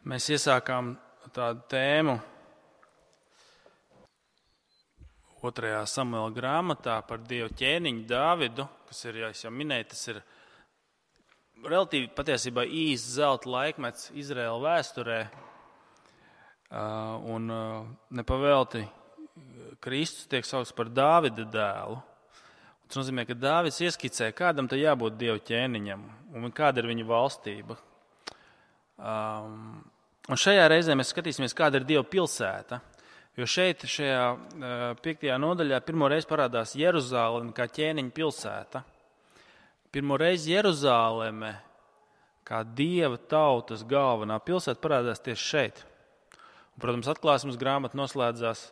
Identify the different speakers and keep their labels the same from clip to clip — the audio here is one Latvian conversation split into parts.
Speaker 1: Mēs iesākām tādu tēmu 2. Samuela grāmatā par Dieva ķēniņu Dāvidu, kas ir, ja es jau minēju, tas ir relatīvi patiesībā īsts zelta laikmets Izraēla vēsturē. Un nepavēlti Kristus tiek saukts par Dāvida dēlu. Tas nozīmē, ka Dāvids ieskicē, kādam te jābūt Dieva ķēniņam un kāda ir viņa valstība. Un šajā reizē mēs skatīsimies, kāda ir Dieva pilsēta. Jo šeit, šajā 5. nodaļā, pirmo reizi parādās Jeruzāleme kā ķēniņa pilsēta. Pirmo reizi Jeruzāleme kā Dieva tautas galvenā pilsēta parādās tieši šeit. Un, protams, atklāsmes grāmata noslēdzās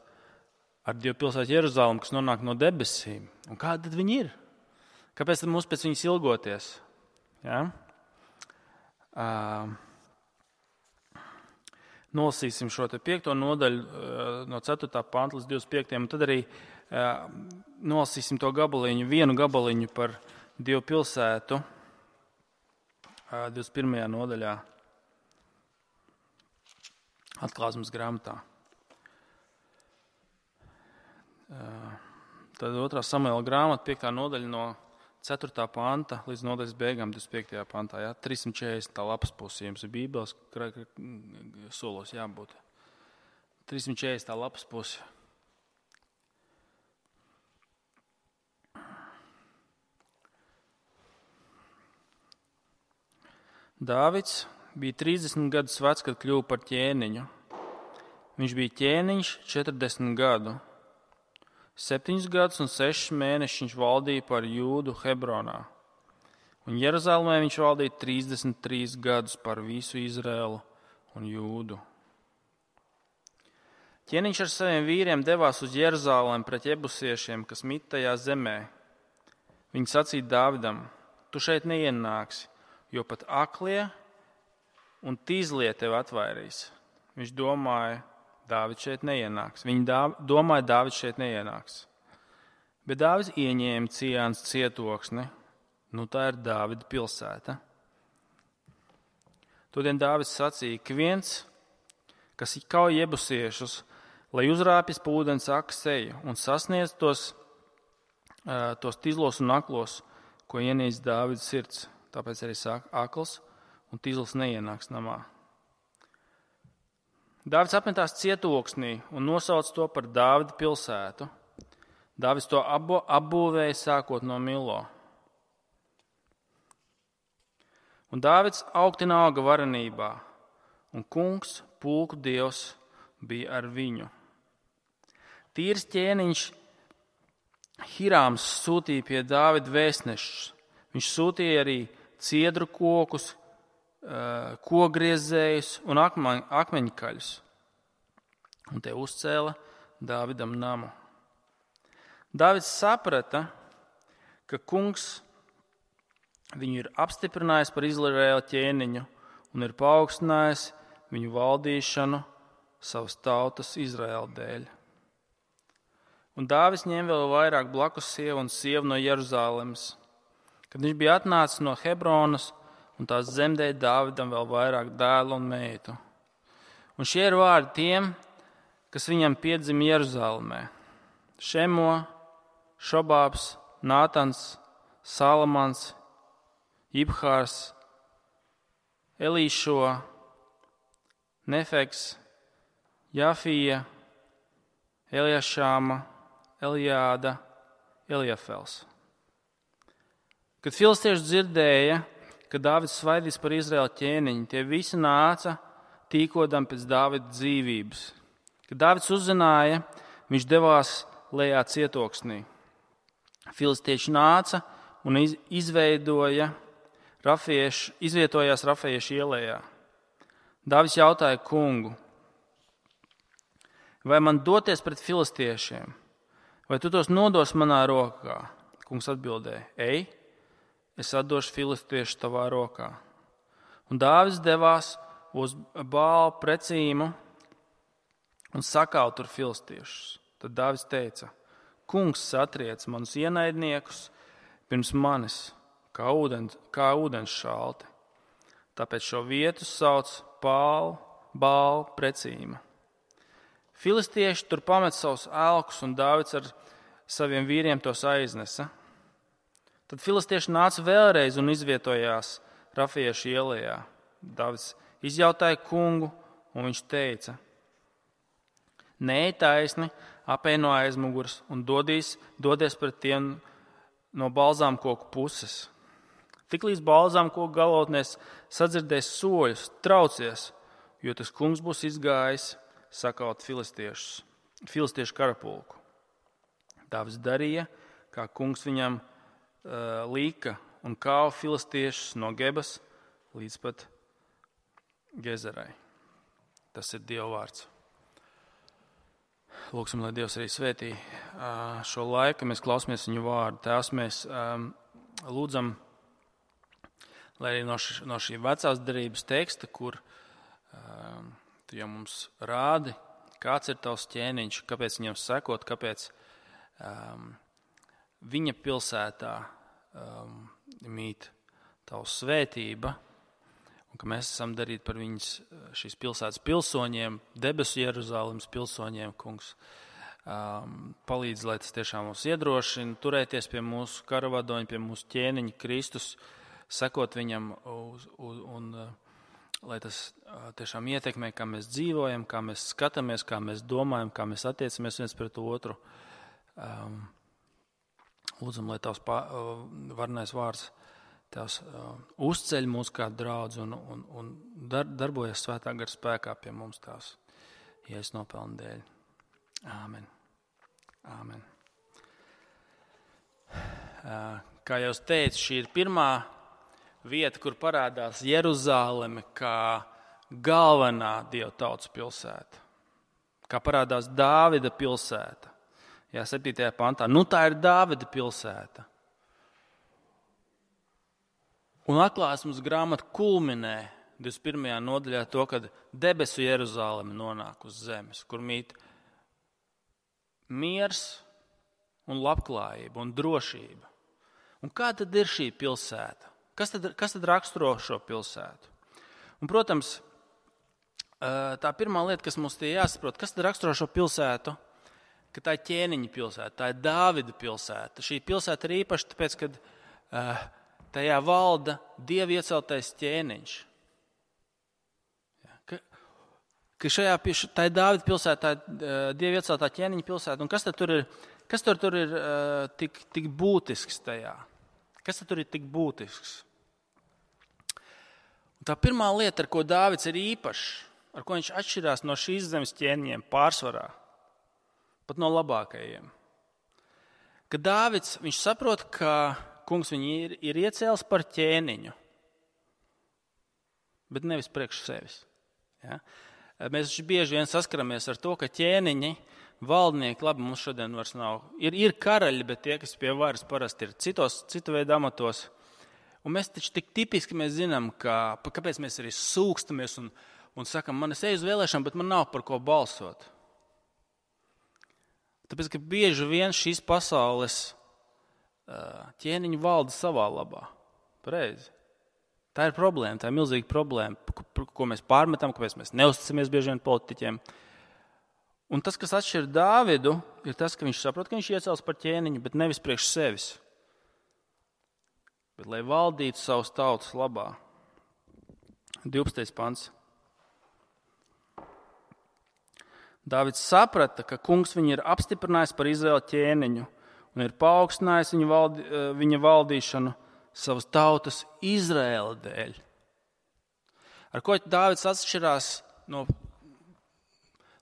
Speaker 1: ar Dieva pilsētu Jeruzālemi, kas nonāk no debesīm. Un kāda tad viņi ir? Kāpēc tad mums pēc viņas ilgoties? Ja? Nolasīsim šo 5. nodaļu no 4. panta līdz 25. Un tad arī nolasīsim to gabaliņu, vienu gabaliņu par Dieva pilsētu 21. nodaļā atklāsmes grāmatā. Tad 2. Samuela grāmata, 5. nodaļa no 4. panta līdz nodaļas beigām 25. pantā. Ja? 340. lapas pusi, jums ir Bībeles solos jābūt. 340. lapas pusi. Dāvids bija 30 gadus vecs, kad kļuva par ķēniņu. Viņš bija ķēniņš 40 gadu. 7 gadus un 6 mēnešus viņš valdīja par Jūdu Hebronā. Un Jeruzālēmē viņš valdīja 33 gadus par visu Izraēlu un Jūdu. Ķēniņš ar saviem vīriem devās uz Jeruzālēm pret jebusiešiem, kas mit tajā zemē. Viņi sacīja Dāvidam: tu šeit neienāksi, jo pat aklie un tīzlie tevi atvairīs. Viņš domāja, Dāvids šeit neienāks. Viņi domāja, Dāvids šeit neienāks. Bet Dāvids ieņēma Cijānas cietoksni. Nu, tā ir Dāvida pilsēta. Todien Dāvids sacīja, ka viens, kas kauj jebusiešus, lai uzrāpjas pa ūdens aka seju un sasniedz tos tīzlos un aklos, ko ienīst Dāvida sirds. Tāpēc arī saka, akls un tīzls neienāks namā. Dāvids apmetās cietoksnī un nosauc to par Dāvida pilsētu. Dāvids to apbūvēja sākot no Milo. Un Dāvids augtina auga varenībā, un kungs, pulku dievs, bija ar viņu. Tīrs ķēniņš Hirāms sūtīja pie Dāvida vēstnešus. Viņš sūtīja arī ciedru kokus, kogriezējus un akmeņkaļus. Un te uzcēla Dāvidam namu. Dāvids saprata, ka kungs viņu ir apstiprinājis par Izraēla ķēniņu un ir paaugstinājis viņu valdīšanu savas tautas Izraēla dēļ. Un Dāvids ņem vēl vairāk blakus sievu un sievu no Jeruzālemes. Kad viņš bija atnācis no Hebronas un tās zemdēja Dāvidam vēl vairāk dēlu un meitu. Un šie ir vārdi tiem, kas viņam piedzima Jeruzālemē: Šemo, Šobābs, Nātans, Salamans, Ibhārs, Elīšo, Nefeks, Jafija, Eliašāma, Eliāda, Eliafels. Kad filistieši dzirdēja, ka Dāvids svaidīs par Izraēla ķēniņu, tie visi nāca tīkodam pēc Dāvida dzīvības. Kad Dāvids uzzināja, viņš devās lejā cietoksnī. Filistieši nāca un izvietojās Rafiešu ielējā. Dāvids jautāja kungu: vai man doties pret filistiešiem, vai tu tos nodos manā rokā? Kungs atbildēja: ej, es atdošu filistiešu tavā rokā. Un Dāvids devās uz Bāla precīmu un sakāva tur filistiešus. Tad Dāvids teica: kungs satriec manus ienaidniekus pirms manis, kā ūdens šalti. Tāpēc šo vietu sauc Pālu Bāla precīma. Filistieši tur pamet savus elkus, un Dāvids ar saviem vīriem tos aiznesa. Tad filistieši nāca vēlreiz un izvietojās Rafiešu ielajā. Dāvids izjautāja kungu, un viņš teica: Neej taisni, apej no aizmugures un dodies pret tiem no balzām koku puses. Tiklīdz balzām koku galotnēs sadzirdēs soļus, traucies, jo tas kungs būs izgājis sakaut filistiešu karapulku. Dāvids darīja, kā kungs viņam lika, un kāva filistiešus no Gebas līdz pat Gezerai. Tas ir Dieva vārds. Lūksim, lai Dievs arī svētī šo laiku, mēs klausāmies viņu vārdu. Tēvs, mēs lūdzam, lai arī no šī vecās derības teksta, kur tu jau mums rādi, kāds ir tavs ķēniņš, kāpēc viņam sekot, kāpēc viņa pilsētā mīt tavs svētība, un ka mēs esam darīti par viņas šīs pilsētas pilsoņiem, debesu Jeruzālemes pilsoņiem, kungs. Palīdz, lai tas tiešām mūs iedrošina, turēties pie mūsu karavadoņa, pie mūsu ķēniņa Kristus, sekot viņam un lai tas tiešām ietekmē, kā mēs dzīvojam, kā mēs skatāmies, kā mēs domājam, kā mēs attiecamies viens pret otru. Lūdzam, lai tavs varnais vārds tavs uzceļ mūs kā draudz un darbojas svētā gara spēkā pie mums tās Jēzus nopelna dēļ. Āmen. Āmen. Kā jau es teicu, šī ir pirmā vieta, kur parādās Jeruzāleme kā galvenā Dieva tautas pilsēta. Kā parādās Dāvida pilsēta. 7. pantā. Tā ir Dāvida pilsēta. Un atklāsmes grāmata kulminē 21. nodaļā to, kad debesu Jeruzāleme nonāk uz zemes, kur mīt miers un labklājība un drošība. Un kā tad ir šī pilsēta? Kas tad raksturo šo pilsētu? Un, protams, tā pirmā lieta, kas mums tie jāsaprot, kas tad raksturo šo pilsētu, ka tā ir ķēniņa pilsēta, tā ir Dāvida pilsēta. Šī pilsēta ir īpaša, tāpēc, kad tajā valda Dieva ieceltais ķēniņš. Tā ir Dāvida pilsēta, tā ir Dieva ieceltā ķēniņa pilsēta. Un kas tad tur ir tik būtisks tajā? Kas tad tur ir tik būtisks? Un tā pirmā lieta, ar ko Dāvids ir īpašs, ar ko viņš atšķirās no šīs zemes ķēniņiem pārsvarā, pat no labākajiem. Kad Dāvids, viņš saprot, ka kungs viņu ir iecēlis par ķēniņu, bet nevis priekš sevis. Ja? Mēs bieži vien saskaramies ar to, ka ķēniņi, valdnieki, labi, mums šodien vairs nav, ir karaļi, bet tie, kas pie varas parasti ir citu veidu amatos. Un mēs taču tik tipiski mēs zinām, kāpēc mēs arī sūkstamies un sakam, man es eju uz vēlēšanām, bet man nav par ko balsot. Tāpēc, ka bieži vien šīs pasaules ķēniņi valda savā labā. Pareizi. Tā ir problēma, tā ir milzīga problēma, ko mēs pārmetam, kāpēc mēs neusticamies bieži vien politiķiem. Un tas, kas atšķir Dāvidu, ir tas, ka viņš saprot, ka viņš iecels par ķēniņu, bet nevis priekš sevis. Bet lai valdītu savus tautas labā. 12. pants. Dāvids saprata, ka kungs viņu ir apstiprinājis par Izraēla ķēniņu un ir paaugstinājis viņa valdīšanu savas tautas Izraēla dēļ. Ar ko Dāvids atšķirās no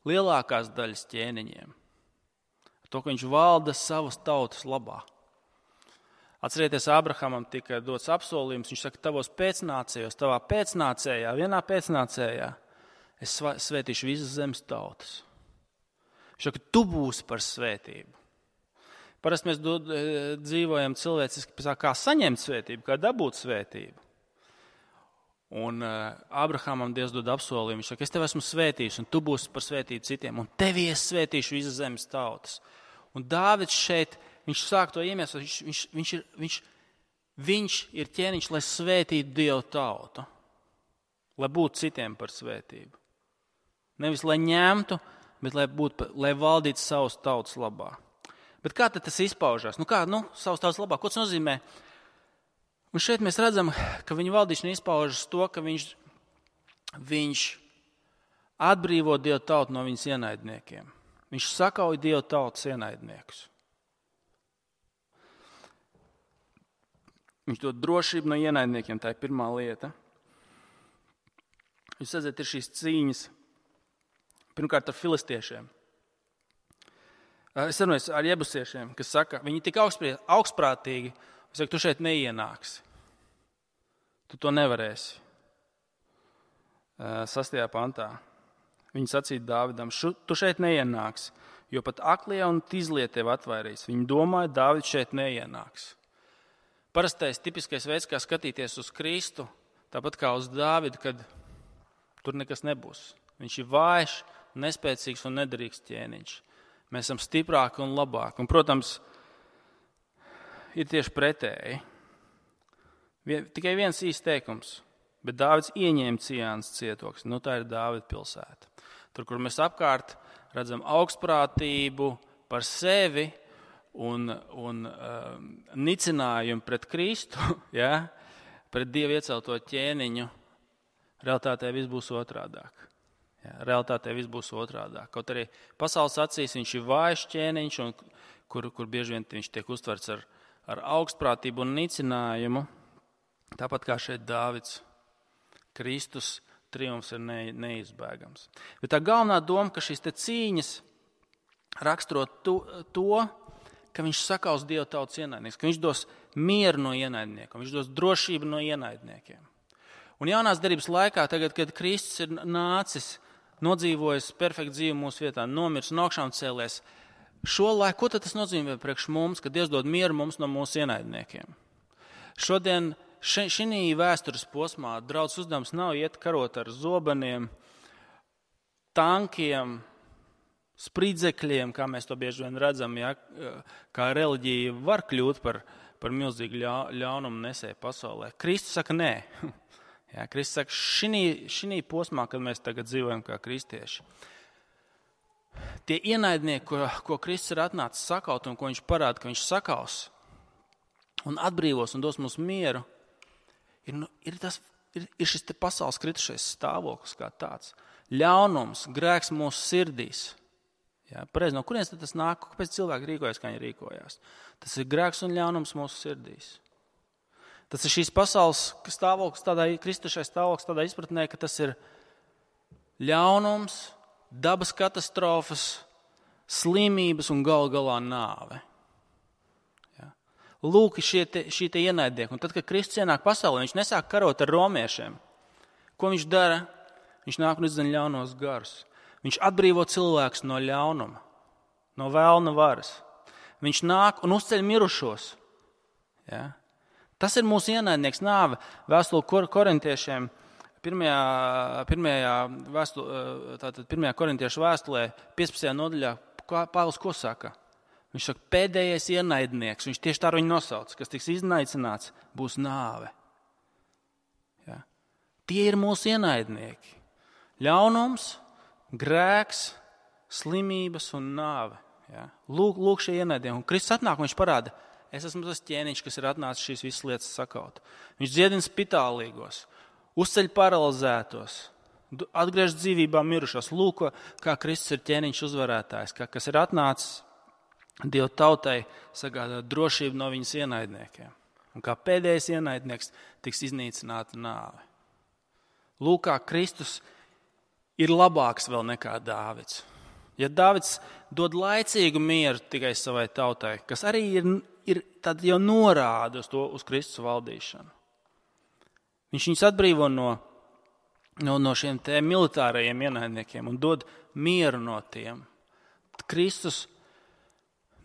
Speaker 1: lielākās daļas ķēniņiem? Ar to, ka viņš valda savas tautas labā. Atcerieties, Abrahamam tika dots apsolījums, viņš saka, tavos pēcnācējos, tavā pēcnācējā, vienā pēcnācējā, es svētīšu visas zemes tautas. Viņš saka, tu būsi par svētību. Parasti mēs dzīvojam cilvēciski, kā saņemt svētību, kā dabūt svētību. Un Abrahamam Dievs dod apsolījumu, viņš saka, es tev esmu svētījis, un tu būsi par svētību citiem, un tevi es svētīšu visas zemes tautas. Un Dāvids šeit, viņš sāk to iemeslu, viņš ir ķēniņš, lai svētītu Dievu tautu, lai būtu citiem par svētību. Nevis, lai ņemtu, bet lai valdītu savas tautas labā. Bet kā tad tas izpaužās? Savas tautas labā, ko tas nozīmē? Un šeit mēs redzam, ka viņa valdīšana izpaužas to, ka viņš atbrīvo Dieva tautu no viņas ienaidniekiem. Viņš sakauj Dieva tautas ienaidniekus. Viņš dod drošību no ienaidniekiem, tā ir pirmā lieta. Jūs redzat, ir šīs cīņas, pirmkārt ar filistiešiem. Es runāju ar jebusiešiem, kas saka, viņi tik augstprātīgi, es saku, tu šeit neienāksi. Tu to nevarēsi. 6. pantā. Viņi sacīja Dāvidam, tu šeit neienāksi, jo pat aklie un tīzlie tev atvairīs. Viņi domāja, Dāvids šeit neienāks. Parastais tipiskais veids, kā skatīties uz Kristu, tāpat kā uz Dāvidu, kad tur nekas nebūs. Viņš ir vājš, nespēcīgs un nederīgs ķēniņš. Mēs esam stiprāki un labāki. Un, protams, ir tieši pretēji. Tikai viens īsts teikums, bet Dāvids ieņēma Cijānas cietoksni. Tā ir Dāvida pilsēta. Tur, kur mēs apkārt redzam augstprātību par sevi un nicinājumu pret Kristu, ja, pret Dievu iecelto ķēniņu, realitātē viss būs otrādāk. Ja, realitātē viss būs otrādāk. Kaut arī pasaules acīs viņš ir vājš ķēniņš, un kur bieži vien viņš tiek uztverts ar augstprātību un nicinājumu, tāpat kā šeit Dāvids. Kristus triumfs ir neizbēgams. Bet tā galvenā doma, ka šīs te cīņas raksturo to, ka viņš sakaus Dieva tautas ienaidnieks, ka viņš dos mieru no ienaidniekiem, viņš dos drošību no ienaidniekiem. Un jaunās derības laikā, tagad, kad Kristus ir nācis, nodzīvojis perfektu dzīvi mūsu vietā, nomirs un augšām cēlies, šo laiku, ko tad tas nozīmē priekš mums, ka Dievs dod mieru mums no mūsu ienaidniekiem? Šodien šī vēstures posmā draudz uzdevums nav iet karot ar zobeniem, tankiem, spridzekļiem, kā mēs to bieži vien redzam, ja, kā reliģija var kļūt par milzīgu ļaunumu nesēju pasaulē. Kristus saka nē. Ja, Kristus saka, šī posmā, kad mēs tagad dzīvojam kā kristieši, tie ienaidnieki, ko Kristus ir atnācis sakaut un ko viņš parāda, ka viņš sakaus un atbrīvos un dos mums mieru, ir šis te pasaules kritušais stāvoklis kā tāds. Ļaunums, grēks mūsu sirdīs. Ja, pareizi, no kurienes tas nāk? Kāpēc cilvēki rīkojas, kā viņi rīkojās? Tas ir grēks un ļaunums mūsu sirdīs. Tas ir šīs pasaules stāvoklis, kristušais stāvoklis tādā izpratnē, ka tas ir ļaunums, dabas katastrofas, slimības un galu galā nāve. Lūk, šie te ienaidnieki. Un tad, kad Kristus ienāk pasaulē, viņš nesāk karot ar romiešiem. Ko viņš dara? Viņš nāk un izdzen ļaunos garus. Viņš atbrīvo cilvēkus no ļaunuma, no vēlna varas. Viņš nāk un uzceļ mirušos. Ja? Tas ir mūsu ienaidnieks nāve. Vēstule korintiešiem, pirmajā korintiešu vēstulē, 15. nodaļā, Pāvils ko saka? Viņš saka, pēdējais ienaidnieks, viņš tieši tā viņu nosauc, kas tiks iznaicināts, būs nāve. Ja? Tie ir mūsu ienaidnieki. Ļaunums, grēks, slimības un nāve. Ja? Lūk šie ienaidnieki. Un Kristus atnāk, un viņš parāda, es esmu tas ķēniņš, kas ir atnācis šīs visas lietas sakaut. Viņš dziedina spitālīgos, uzceļ paralizētos, atgriež dzīvībā mirušos. Lūk, kā Kristus ir ķēniņš uzvarētājs, kas ir atnācis Dieva tautai sagādāt drošību no viņas ienaidniekiem. Un kā pēdējais ienaidnieks tiks iznīcināta nāve. Lūk, kā Kristus ir labāks vēl nekā Dāvids. Ja Dāvids dod laicīgu mieru tikai savai tautai, kas arī ir tad jau norāda uz Kristus valdīšanu. Viņš viņus atbrīvo no šiem te militārajiem ienaidniekiem un dod mieru no tiem. Kristus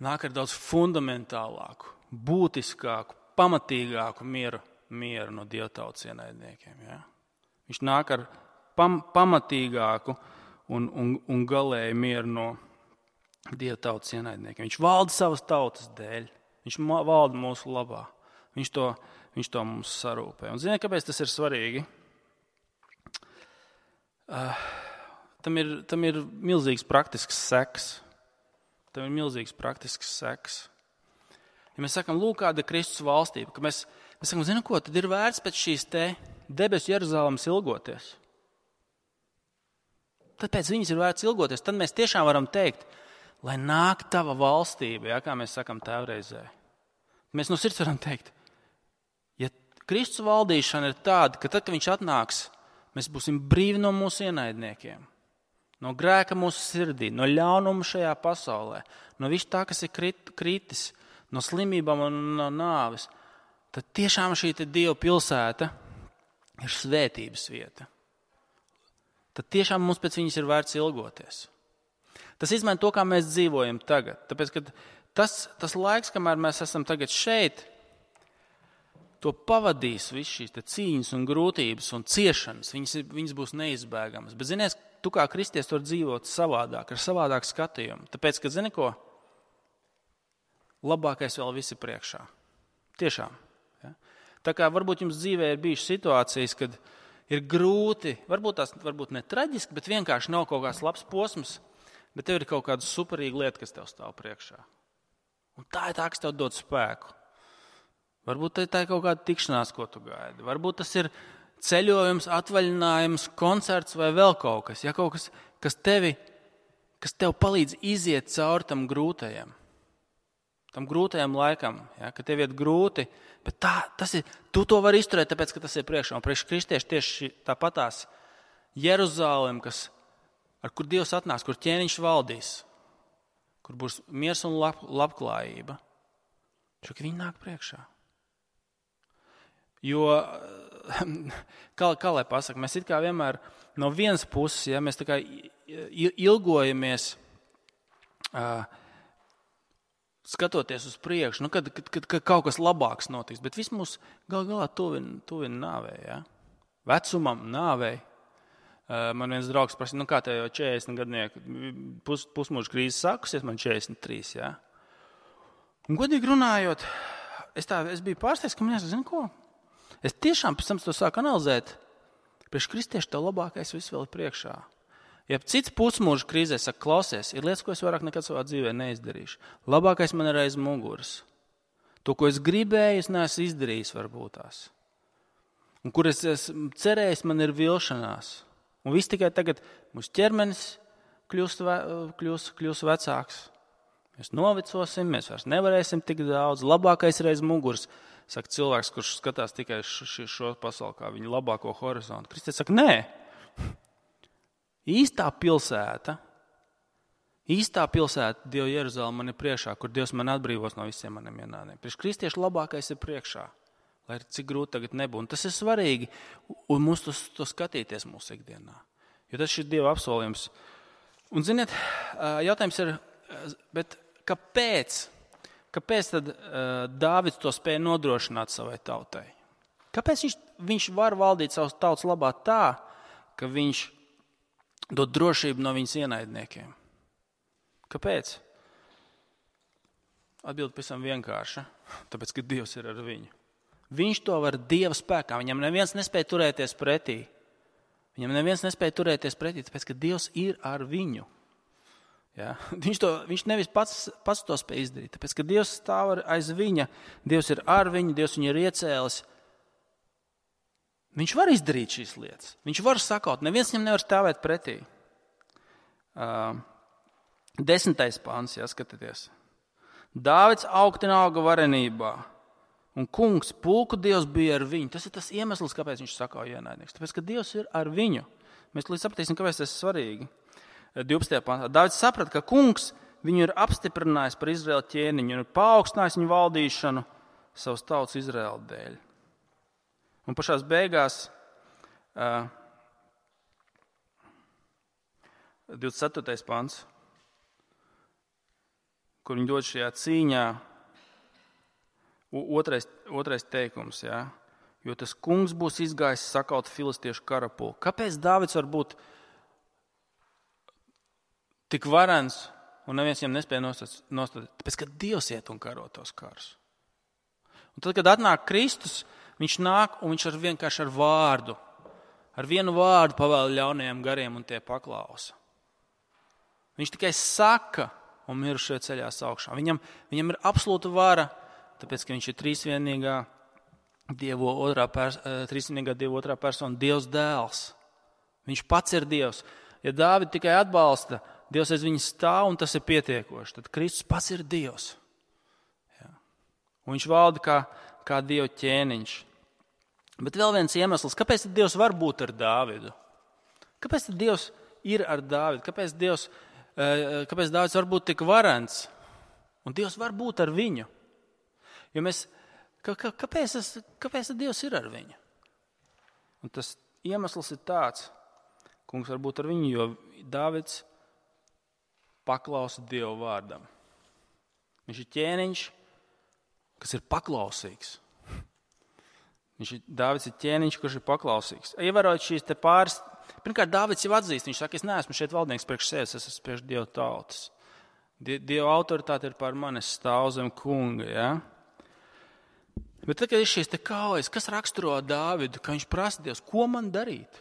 Speaker 1: nāk ar daudz fundamentālāku, būtiskāku, pamatīgāku mieru no Dieva tautas ienaidniekiem. Ja? Viņš nāk ar pamatīgāku un galēju mieru no Dieva tautas ienaidniekiem. Viņš valda savas tautas dēļ. Viņš valda mūsu labā. Viņš to mums sarūpē. Un ziniet, kāpēc tas ir svarīgi? tam ir milzīgs praktisks seks. Tam ir milzīgs praktisks seks. Ja mēs sakam, lūk, kāda ir Kristus valstība, ka mēs sakam, zinu ko, tad ir vērts pēc šīs te debesu Jeruzalemes ilgoties. Tad pēc viņas ir vērts ilgoties. Tad mēs tiešām varam teikt, lai nāk tava valstība, kā mēs sakam tēvreizē. Mēs no sirds varam teikt, ja Kristus valdīšana ir tāda, ka tad, kad viņš atnāks, mēs būsim brīvi no mūsu ienaidniekiem, no grēka mūsu sirdī, no ļaunuma šajā pasaulē, no viss tā, kas ir kritis, no slimībām un no nāves, tad tiešām šī Dieva pilsēta ir svētības vieta. Tad tiešām mums pēc viņas ir vērts ilgoties. Tas izmaina to, kā mēs dzīvojam tagad. Tāpēc, ka tas laiks, kamēr mēs esam tagad šeit, to pavadīs viss šīs cīņas un grūtības un ciešanas. Viņas būs neizbēgamas. Bet, zinies, tu kā kristietis var dzīvot savādāk, ar savādāku skatījumu. Tāpēc, ka, zini ko, labākais vēl visi priekšā. Tiešām. Ja? Tā kā varbūt jums dzīvē ir bijušas situācijas, kad ir grūti, varbūt ne traģiski, bet vienkārši nav kaut kāds labs posms, bet tev ir kaut kāda superīga lieta, kas tev stāv priekšā. Un tā ir tā, kas tev dod spēku. Varbūt tā ir kaut kāda tikšanās, ko tu gaidi. Varbūt tas ir ceļojums, atvaļinājums, koncerts vai vēl kaut kas. Ja kaut kas, kas tev palīdz iziet cauri tam grūtajam laikam, ja, ka tev iet grūti, bet tu to vari izturēt, tāpēc, ka tas ir priekšā. Un priekš kristieši tieši tāpatās Jeruzalem, ar kur Dievs atnāks, kur ķēniņš valdīs, kur būs miers un labklājība, ka viņi nāk priekšā. Jo, kā lai pasaka, mēs it kā vienmēr no vienas puses, ja, mēs tā kā ilgojamies skatoties uz priekšu, kad kaut kas labāks notiks, bet viss mūs galā tuvina nāvei, ja? Vecumam, nāvei. Man viens draugs prasīja, kā tev jau 40 gadnieku, pusmūža krīze sākusies, man 43, ja? Un godīgi runājot, es biju pārsteigts, ka man jāsaka, zinu ko? Es tiešām pēc tam to sāku analizēt. Priekš kristieši tev labākais viss vēl ir priekšā. Ja cits pusmūža krīzē saka, klausies, ir lietas, ko es vairāk nekad savā dzīvē neizdarīšu. Labākais man ir aiz muguras. To, ko es gribēju, es neesmu izdarījis varbūt tās. Un kur es esmu cerējis, man ir vilšanās. Un viss tikai tagad mūsu ķermenis kļūs vecāks. Mēs novecosim, mēs vairs nevarēsim tik daudz. Labākais ir aiz muguras. Saka cilvēks, kurš skatās tikai šo pasauli kā viņu labāko horizontu. Kristus saka, nē. Īstā pilsēta Dieva Jeruzalem man ir priekšā, kur Dievs man atbrīvos no visiem maniem ienaidniekiem. Priekš kristiešu labākais ir priekšā, lai cik grūti tagad nebūtu. Un tas ir svarīgi, un mums to skatīties mūsu ikdienā. Jo tas ir Dieva apsolījums. Un, ziniet, jautājums ir, bet kāpēc tad Dāvids to spēja nodrošināt savai tautai? Kāpēc viņš var valdīt savas tautas labā tā, ka viņš dod drošību no viņas ienaidniekiem? Kāpēc? Atbilde pavisam vienkārša. Tāpēc, ka Dievs ir ar viņu. Viņš to var Dieva spēkā. Viņam neviens nespēja turēties pretī. Tāpēc, ka Dievs ir ar viņu. Ja? Viņš nevis pats to spēj izdarīt. Tāpēc, ka Dievs stāv aiz viņa, Dievs ir ar viņu, Dievs viņu ir iecēlis. Viņš var izdarīt šīs lietas. Viņš var sakaut. Neviens viņam nevar stāvēt pretī. 10. pāns, jāskatieties. Dāvids auga varenībā, un kungs, pulku Dievs bija ar viņu. Tas ir tas iemesls, kāpēc viņš sakauja ienaidnieks. Tāpēc, ka Dievs ir ar viņu. Mēs līdz sapratīsim, kāpēc tas ir svarīgi. 12. pāntā. Dāvids saprata, ka kungs viņu ir apstiprinājis par Izraēla ķēniņu un ir paaugstinājis viņu valdīšanu savas tautas Izraēla dēļ. Un pašās beigās 24. pants, kur viņi dod šajā cīņā, otrais teikums, ja? Jo tas kungs būs izgājis sakaut filistiešu karapulku. Kāpēc Dāvids var būt tik varens un neviens viņam nespēja nostāt? Tāpēc, ka Dievs iet un karo tos karus. Un tad, kad atnāk Kristus, viņš nāk un viņš vienkārši ar vārdu ar vienu vārdu pavēl ļaunajiem gariem un tie paklausa. Viņš tikai saka, un mirušie ceļās augšā. Viņam ir absolūta vara, tāpēc, ka viņš ir trīsvienīgā Dieva otrā persona, Dievs dēls. Viņš pats ir Dievs. Ja Dāvidu tikai atbalsta, Dievs aiz viņa stāv, un tas ir pietiekoši, tad Kristus pats ir Dievs. Ja. Un viņš valda kā Dieva ķēniņš. Bet vēl viens iemesls, kāpēc tad Dievs var būt ar Dāvidu? Kāpēc tad Dievs ir ar Dāvidu? Kāpēc Dāvids var būt tik varens? Un Dievs var būt ar viņu. Jo kāpēc tad Dievs ir ar viņu? Un tas iemesls ir tāds, kungs var būt ar viņu, jo Dāvids paklausa Dieva vārdam. Viņš ir ķēniņš, kas ir paklausīgs. Dāvids ir ķēniņš, kurš ir paklausīgs. Ievērojot šīs te pāris, pirmkārt, Dāvids jau atzīst, viņš saka, es neesmu šeit valdnieks priekš sevis, es esmu priekš Dieva tautas. Dieva autoritāte ir pār mani, es stāvu zem kunga, ja? Bet tad, kad ir šīs te kaujas, kas raksturo Dāvidu, ka viņš prasa Dievs, ko man darīt?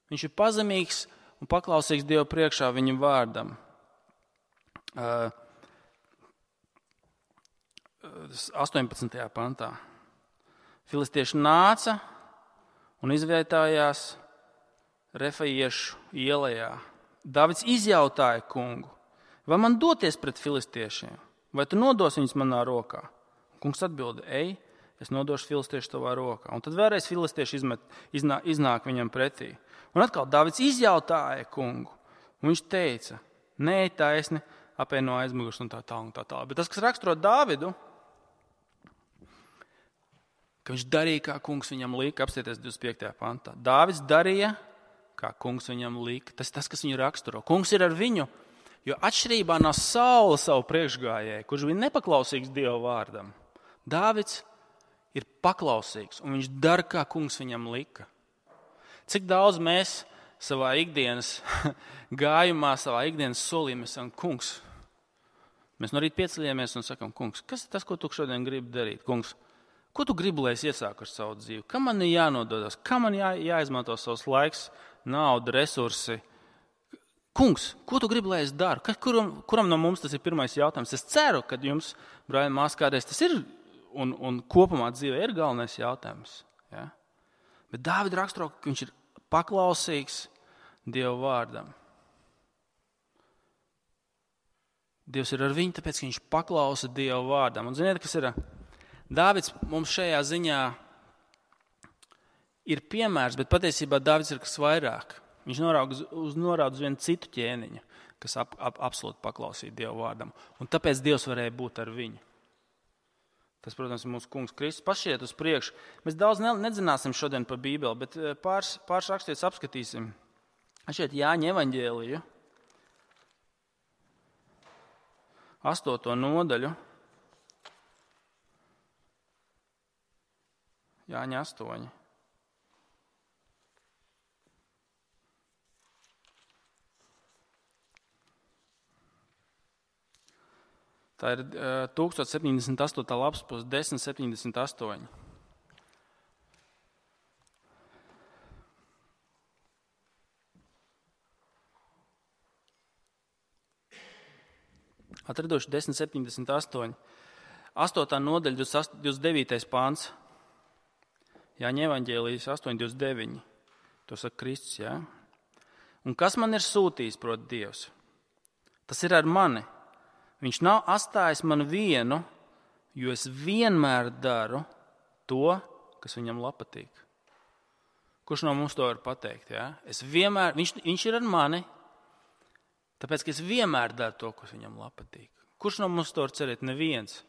Speaker 1: Viņš ir pazemīgs un paklausīgs Dievu priekšā viņa vārdam. 18. pantā. Filistieši nāca un izvietājās Refaiešu ielajā. Dāvids izjautāja kungu, vai man doties pret filistiešiem, vai tu nodosi viņus manā rokā? Kungs atbilda, ej, es nodošu filistiešu tavā rokā. Un tad vēlreiz filistieši iznāk viņam pretī. Un atkal Dāvids izjautāja kungu, un viņš teica, nē, taisni, apēj no aizmugures un tā tālāk. Bet tas, kas raksturo Dāvidu, ka viņš darīja, kā kungs viņam lika, apstieties 25. pantā. Dāvids darīja, kā kungs viņam lika. Tas, kas viņu raksturo. Kungs ir ar viņu, jo atšķirībā no Saula savu priekšgājēju, kurš bija nepaklausīgs Dieva vārdam, Dāvids ir paklausīgs, un viņš dara, kā kungs viņam lika. Cik daudz mēs savā ikdienas gājumā, savā ikdienas solī mēs sakam, kungs, mēs no rīta pieceļamies un sakam, kungs, kas ir tas, ko tu šodien gribi darīt? Kungs, ko tu gribi, lai es iesāku ar savu dzīvi? Kam man ir jānododas? Kam man jāizmanto savs laiks, nauda, resursi? Kungs, ko tu gribi, lai es daru? Kuram no mums tas ir pirmais jautājums? Es ceru, ka jums, brāļi, māsas, kādreiz tas ir un kopumā dzīvē ir galvenais jautājums. Ja? Bet Dāvida raksturo, ka viņš ir paklausīgs Dieva vārdam. Dievs ir ar viņu, tāpēc, ka viņš paklausa Dieva vārdam. Un ziniet, kas ir? Dāvids mums šajā ziņā ir piemērs, bet patiesībā Dāvids ir kas vairāk. Viņš norāda uz vienu citu ķēniņu, kas absolūti paklausīja Dieva vārdam. Un tāpēc Dievs varēja būt ar viņu. Tas, protams, ir mūsu kungs Kristus. Pašiet uz priekšu. Mēs daudz nedzināsim šodien par Bībeli, bet pāris rakstītus apskatīsim. Šeit Jāņa evaņģēliju, 8. nodaļu. Jāņa 8. Tā ir 1078. lapas puse 1078. Atraduši 1078. 8. nodaļa 29. pāns. Jāņa evaņģēlijas 8.29. To saka Kristus, jā. Un kas man ir sūtījis, proti Dievs? Tas ir ar mani. Viņš nav atstājis man vienu, jo es vienmēr daru to, kas viņam patīk. Kurš no mums to var pateikt? Ja? Viņš ir ar mani, tāpēc, ka es vienmēr daru to, kas viņam patīk. Kurš no mums to var cerēt? Neviens.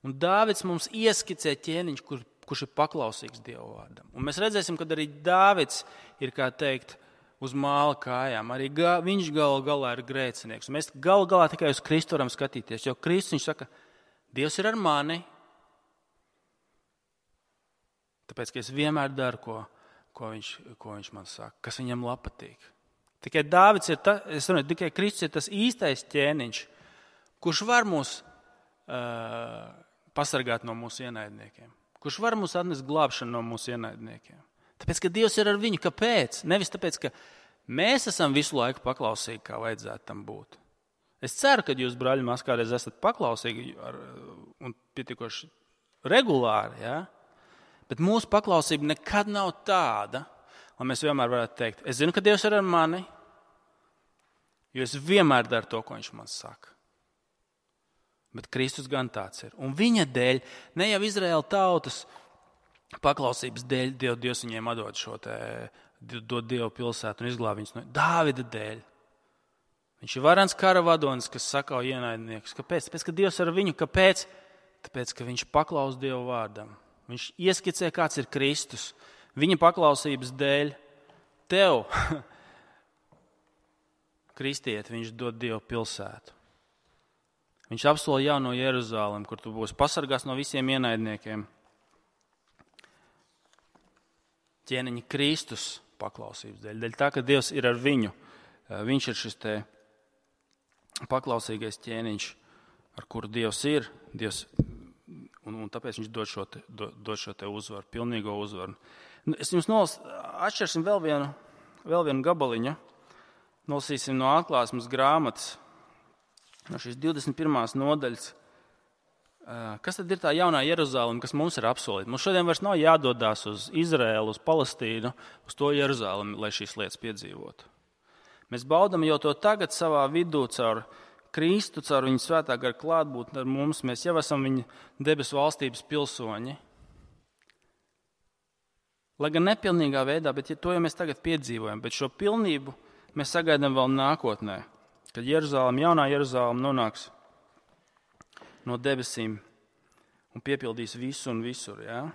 Speaker 1: Un Dāvids mums ieskicē ķēniņš, kurš ir paklausīgs Dieva vārdam. Un mēs redzēsim, ka arī Dāvids ir, kā teikt, uz māla kājām. Arī viņš galu galā ir grēcinieks. Mēs galu galā tikai uz Kristu varam skatīties, jo Kristus viņš saka, Dievs ir ar mani, tāpēc, ka es vienmēr daru, ko viņš man saka, kas viņam patīk. Tikai Dāvids ir tikai Kristus ir tas īstais ķēniņš, kurš var mūs pasargāt no mūsu ienaidniekiem, kurš var mūs atnest glābšanu no mūsu ienaidniekiem. Tāpēc, ka Dievs ir ar viņu. Kāpēc? Nevis tāpēc, ka mēs esam visu laiku paklausīgi, kā vajadzētu tam būt. Es ceru, ka jūs, brāļi, mās kādreiz esat paklausīgi un pietiekoši regulāri, ja? Bet mūsu paklausība nekad nav tāda, lai mēs vienmēr varētu teikt, es zinu, ka Dievs ir ar mani, jo es vienmēr daru to, ko viņš man saka. Bet Kristus gan tāds ir. Un viņa dēļ, ne jau Izraēla tautas paklausības dēļ, Dievs viņiem dod Dievu pilsētu un izglāb viņus no Dāvida dēļ. Viņš ir varens kara vadonis, kas sakauj ienaidniekus. Kāpēc? Tāpēc, ka Dievs ir ar viņu. Kāpēc? Tāpēc, ka viņš paklaus Dievu vārdam. Viņš ieskicē, kāds ir Kristus. Viņa paklausības dēļ tev, kristieti, viņš dod Dievu pilsētu. Viņš apsola jauno Jeruzalemi, kur tu būsi pasargās no visiem ienaidniekiem. Ķēniņa Kristus paklausības dēļ. Dēļ tā, ka Dievs ir ar viņu. Viņš ir šis te paklausīgais ķēniņš, ar kuru Dievs ir. Un tāpēc viņš dod šo te uzvaru, pilnīgo uzvaru. Es jums atšķirsim vēl vienu gabaliņu. Nolasīsim no Atklāsmes grāmatas, no šīs 21. nodaļas. Kas tad ir tā jaunā Jeruzaleme, kas mums ir apsolīta? Mums šodien vairs nav jādodās uz Izraēlu, uz Palestīnu, uz to Jeruzalemi, lai šīs lietas piedzīvotu. Mēs baudam jau to tagad savā vidū caur Kristu, caur viņa svētā gara klātbūtni ar mums. Mēs jau esam viņa debesu valstības pilsoņi. Lai gan nepilnīgā veidā, bet to jau mēs tagad piedzīvojam. Bet šo pilnību mēs sagaidām vēl nākotnē, kad jaunā Jeruzaleme nonāks no debesīm un piepildīs visu un visur. Ja?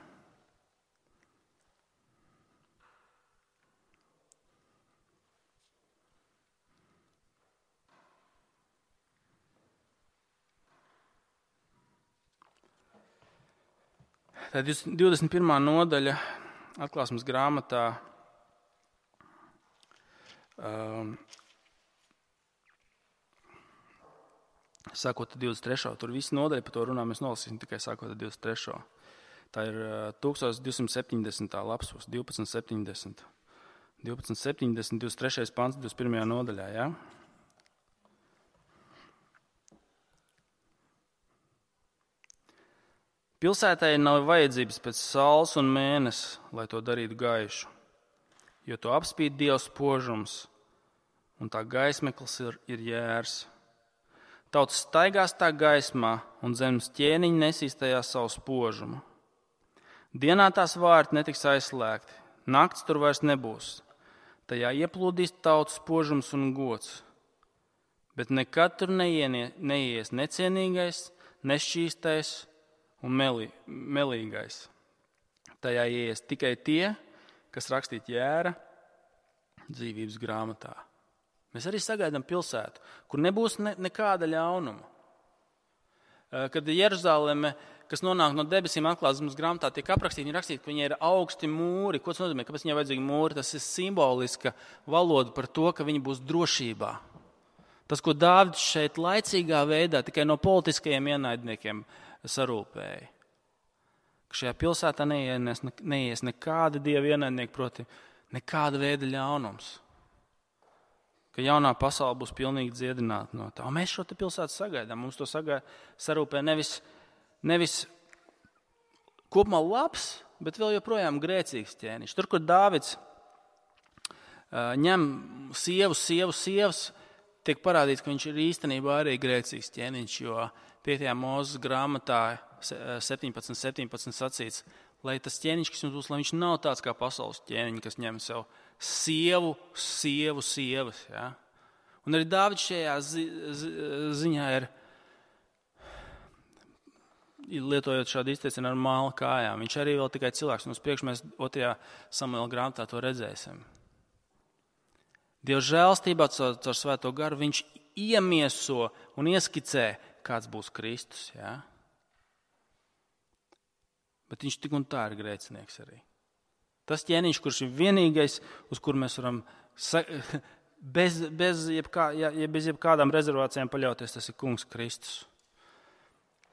Speaker 1: Tā 21. nodaļa Atklāsmes grāmatā sākot ar 23. Tur viss nodaļa par to runā, mēs nolasīsim tikai sākot ar 23. Tā ir 1270. lapspus, 1270. 1270, 23. pants, 21. nodaļā, jā? Ja? Pilsētai nav vajadzības pēc saules un mēnesi, lai to darītu gaišu, jo to apspīd Dieva spožums, un tā gaismeklis ir jērs. Tautas staigās tā gaismā, un zemes ķēniņi nesīs tajā savu spožumu. Dienā tās vārti netiks aizslēgti, nakts tur vairs nebūs. Tajā ieplūdīs tautas spožums un gods, bet nekad tur neies necienīgais, nešķīstais un melīgais. Tajā ieies tikai tie, kas rakstīti jēra dzīvības grāmatā. Mēs arī sagaidām pilsētu, kur nebūs nekāda ļaunuma. Kad Jeruzaleme, kas nonāk no debesīm Atklāsmes grāmatā, tiek aprakstīta, viņi rakstīja, ka viņai ir augsti mūri. Ko tas nozīmē? Kāpēc viņai vajadzīgi mūri? Tas ir simboliska valoda par to, ka viņi būs drošībā. Tas, ko Dāvids šeit laicīgā veidā tikai no politiskajiem ienaidniekiem sarūpēja. Ka šajā pilsētā neies nekāda dieva ienaidnieki, proti nekāda veida ļaunums. Ka jaunā pasaule būs pilnīgi dziedināta no tā. Un mēs šo te pilsētu sagaidām. Mums to sarūpē nevis kopumā labs, bet vēl joprojām grēcīgs ķēniņš. Tur, kur Dāvids ņem sievas, tiek parādīts, ka viņš ir īstenībā arī grēcīgs ķēniņš, jo 5. Mūzes grāmatā 17 sacīts, lai tas ķēniņš, kas jums būs, lai viņš nav tāds kā pasaules ķēniņi, kas ņem sev sievas. Ja? Un arī Dāvids šajā ziņā ir, lietojot šādu izteicienu ar māla kājām. Viņš arī vēl tikai cilvēks, un uz priekšu mēs 2. Samuela grāmatā to redzēsim. Dieva žēlstībā caur svēto garu viņš iemieso un ieskicē, kāds būs Kristus. Ja? Bet viņš tik un tā ir grēcinieks arī. Tas ķēniņš, kurš ir vienīgais, uz kuru mēs varam bez jebkādām rezervācijām paļauties, tas ir kungs Kristus.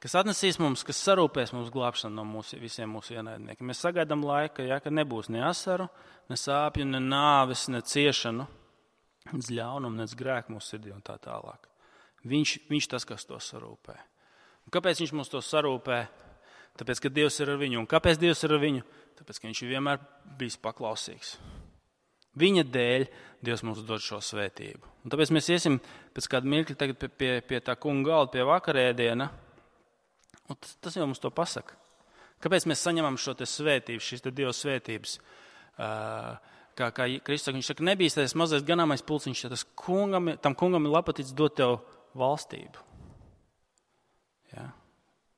Speaker 1: kas atnesīs mums, kas sarūpēs mums glābšanu no visiem mūsu ienaidniekiem. Mēs sagaidām laiku, ka nebūs ne asaru, ne sāpju, ne nāves, ne ciešanu, ne ļaunumu, ne grēku mūsu sirdī un tā tālāk. Viņš tas, kas to sarūpē. Un kāpēc viņš mums to sarūpē? Tāpēc, ka Dievs ir ar viņu. Un kāpēc Dievs ir ar viņu? Tāpēc, ka viņš ir vienmēr bijis paklausīgs. Viņa dēļ Dievs mums dod šo svētību. Un tāpēc mēs iesim pēc kāda mirkļa tagad pie tā kunga galda, pie vakarēdiena. Un tas jau mums to pasaka. Kāpēc mēs saņemam šo te svētību, šīs te Dieva svētības? Kā Kristus saka, viņš saka, nebijis tas mazais ganāmais pulciņš, tam kungam ir lapatīts dot tev valstību. Ja?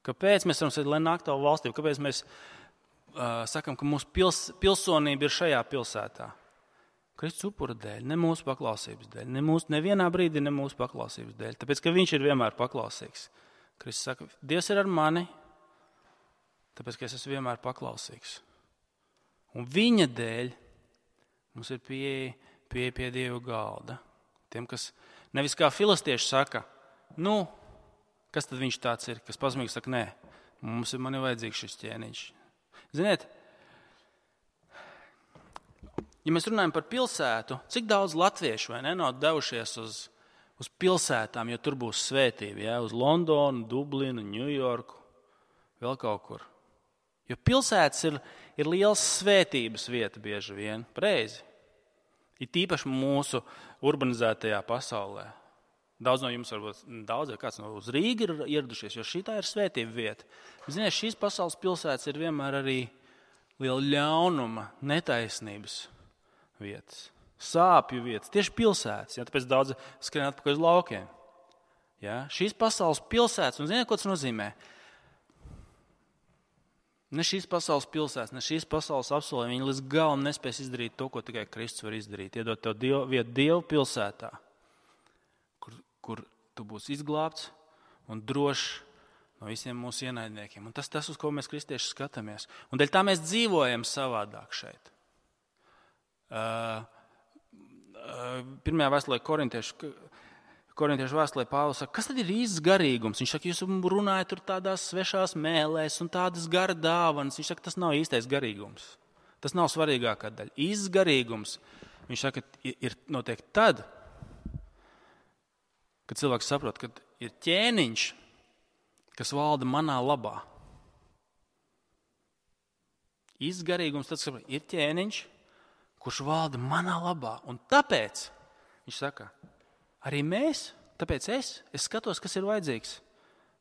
Speaker 1: Kāpēc mēs varam saka, lai nāk tev valstību? Kāpēc mēs sakam, ka mūsu pilsonība ir šajā pilsētā? Kristus upura dēļ, ne mūsu paklausības dēļ, nevienā brīdī ne mūsu paklausības dēļ, tāpēc, ka viņš ir vienmēr paklausīgs. Kristus saka, Dievs ir ar mani, tāpēc, ka es esmu vienmēr paklausīgs. Un viņa dēļ mums ir pieeja pie Dieva galda. Tiem, kas nevis kā filistieši saka, kas tad viņš tāds ir, kas pazemīgi saka, nē, man ir vajadzīgs šis ķēniņš. Ziniet, ja mēs runājam par pilsētu, cik daudz latviešu nav devušies uz pilsētām, jo tur būs svētība, ja? Uz Londonu, Dublinu, Ņujorku, vēl kaut kur. Jo pilsētas ir liels svētības vieta bieži vien, pareizi. Ir tīpaši mūsu urbanizētajā pasaulē. Daudz no jums varbūt, kāds no uz Rīgu ir ieradušies, jo šī tā ir svētība vieta. Ziniet, šīs pasaules pilsētas ir vienmēr arī liela ļaunuma, netaisnības vietas. Sāpju vietas, tieši pilsētas, ja, tāpēc daudzi skrien atpakaļ uz laukiem. Ja, šīs pasaules pilsētas, un ziniet, ko tas nozīmē? Ne šīs pasaules pilsētas, ne šīs pasaules apsolē, viņi līdz galam nespēs izdarīt to, ko tikai Kristus var izdarīt. Iedot tev vietu Dievu pilsētā, kur tu būsi izglābts un drošs no visiem mūsu ienaidniekiem. Un tas, uz ko mēs kristieši skatāmies. Un dēļ tā mēs dzīvojam savādāk šeit. Pirmajā vēstulē korintiešu vēstulē Pāvils saka, kas tad ir īsts garīgums? Viņš saka, jūs runājat tur tādās svešās mēlēs un tādas gara dāvanas. Viņš saka, tas nav īstais garīgums. Tas nav svarīgākā daļa. Īsts garīgums, viņš saka, ir notiek tad, kad cilvēks saprot, ka ir ķēniņš, kas valda manā labā. Īsts garīgums, tad ir ķēniņš, kurš valda manā labā. Un tāpēc, viņš saka, arī mēs, tāpēc es skatos, kas ir vajadzīgs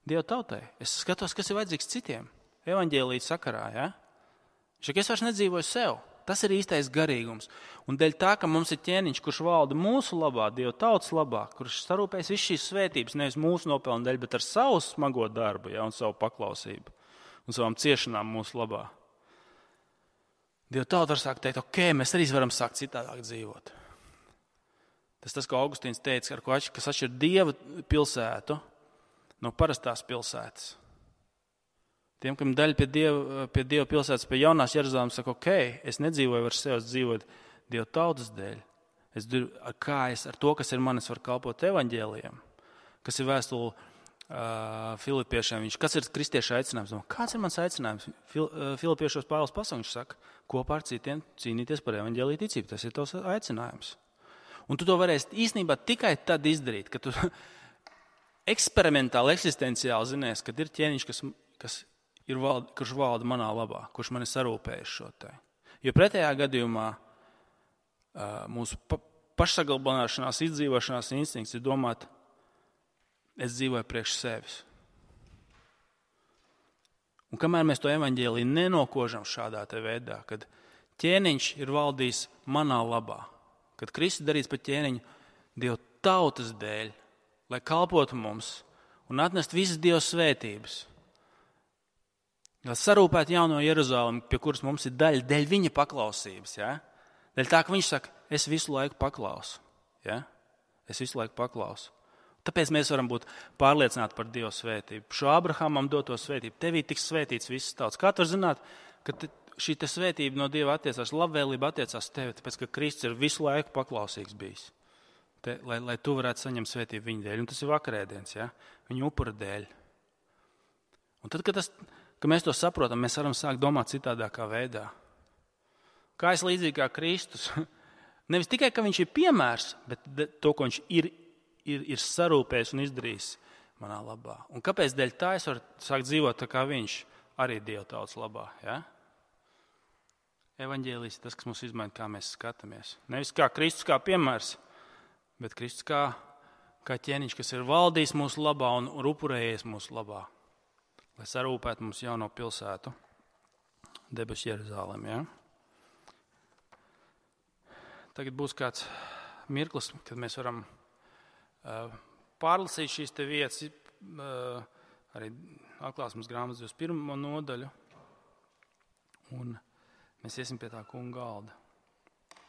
Speaker 1: Dieva tautai. Es skatos, kas ir vajadzīgs citiem. Evaņģēlija sakarā, ja? Viņš saka, es vairs nedzīvoju sev. Tas ir īstais garīgums. Un dēļ tā, ka mums ir ķēniņš, kurš valda mūsu labā, Dieva tautas labā, kurš sarūpēs visu šīs svētības, nevis mūsu nopelnu dēļ, bet ar savu smago darbu, ja, un savu paklausību un savām ciešanām mūsu labā. Dieva tauta var sākt teikt, ok, mēs arī varam sākt citādāk dzīvot. Tas, ko Augustīns teica, kas atšķir Dieva pilsētu no parastās pilsētas. Tiem, kam daļa pie Dieva pilsētas, pie jaunās Jeruzalemes, saka, ok, es nedzīvoju ar sevi, es dzīvoju Dieva tautas dēļ. Ar to, kas ir manis, var kalpot evaņģēlijam, kas ir vēstule Filipiešiem. Kas ir kristieša aicinājums? Kāds ir mans aicinājums? Filipiešos Pāvils pasaka, viņš saka, kopā ar citiem cīnīties par evaņģēliju ticību. Tas ir tavs aicinājums. Un tu to varēsi īstenībā tikai tad izdarīt, ka tu eksperimentāli, eksistenciāli zinies, kad ir ķēniņš, kurš valda manā labā, kurš man ir sarūpējis šo te. Jo pretējā gadījumā mūsu pašsaglabāšanās, izdzīvošanās instinkts ir domāt, es dzīvoju priekš sevis. Un kamēr mēs to evaņģēliju nenokožam šādā te veidā, kad ķēniņš ir valdījis manā labā, kad Kristus darīts par ķēniņu Dieva tautas dēļ, lai kalpotu mums un atnest visas Dieva svētības, lai sarūpētu jauno Jeruzalemi, pie kuras mums ir daļa, dēļ viņa paklausības. Ja? Dēļ tā, ka viņš saka, es visu laiku paklausu. Ja? Es visu laiku paklausu. Tāpēc mēs varam būt pārliecināti par Dieva svētību. Šo Abrahamam doto svētību. Tevī tiks svētīts viss tauts. Kā tu vari zināt, ka šī svētība no Dieva attiecās, labvēlība attiecās tevi, tāpēc, ka Kristus ir visu laiku paklausīgs bijis. Lai tu varētu saņemt svētību viņa dēļ. Un tas ir vakarēdiens, ja? Viņa upura dēļ. Un tad, kad mēs to saprotam, mēs varam sākt domāt citādākā veidā. Kā es līdzīgi kā Kristus. Nevis tikai, ka viņš ir piemērs, bet to, ko viņš ir sarūpējis un izdarījis manā labā. Un kāpēc dēļ tā es varu sākt dzīvot tā kā viņš, arī Dieva tautas labā? Ja? Evaņģēlijs ir tas, kas mums izmaina, kā mēs skatāmies. Nevis kā Kristus kā piemērs, bet Kristus kā ķēniņš, kas ir valdījis mūsu labā un upurējies mūsu labā, lai sarūpētu mums jauno pilsētu, debesu Jeruzalemi. Ja? Tagad būs kāds mirklis, kad mēs varam pārlasīt šīs te vietas, arī atklāsmes grāmatas 21. nodaļu, un mēs iesim pie tā kunga galda.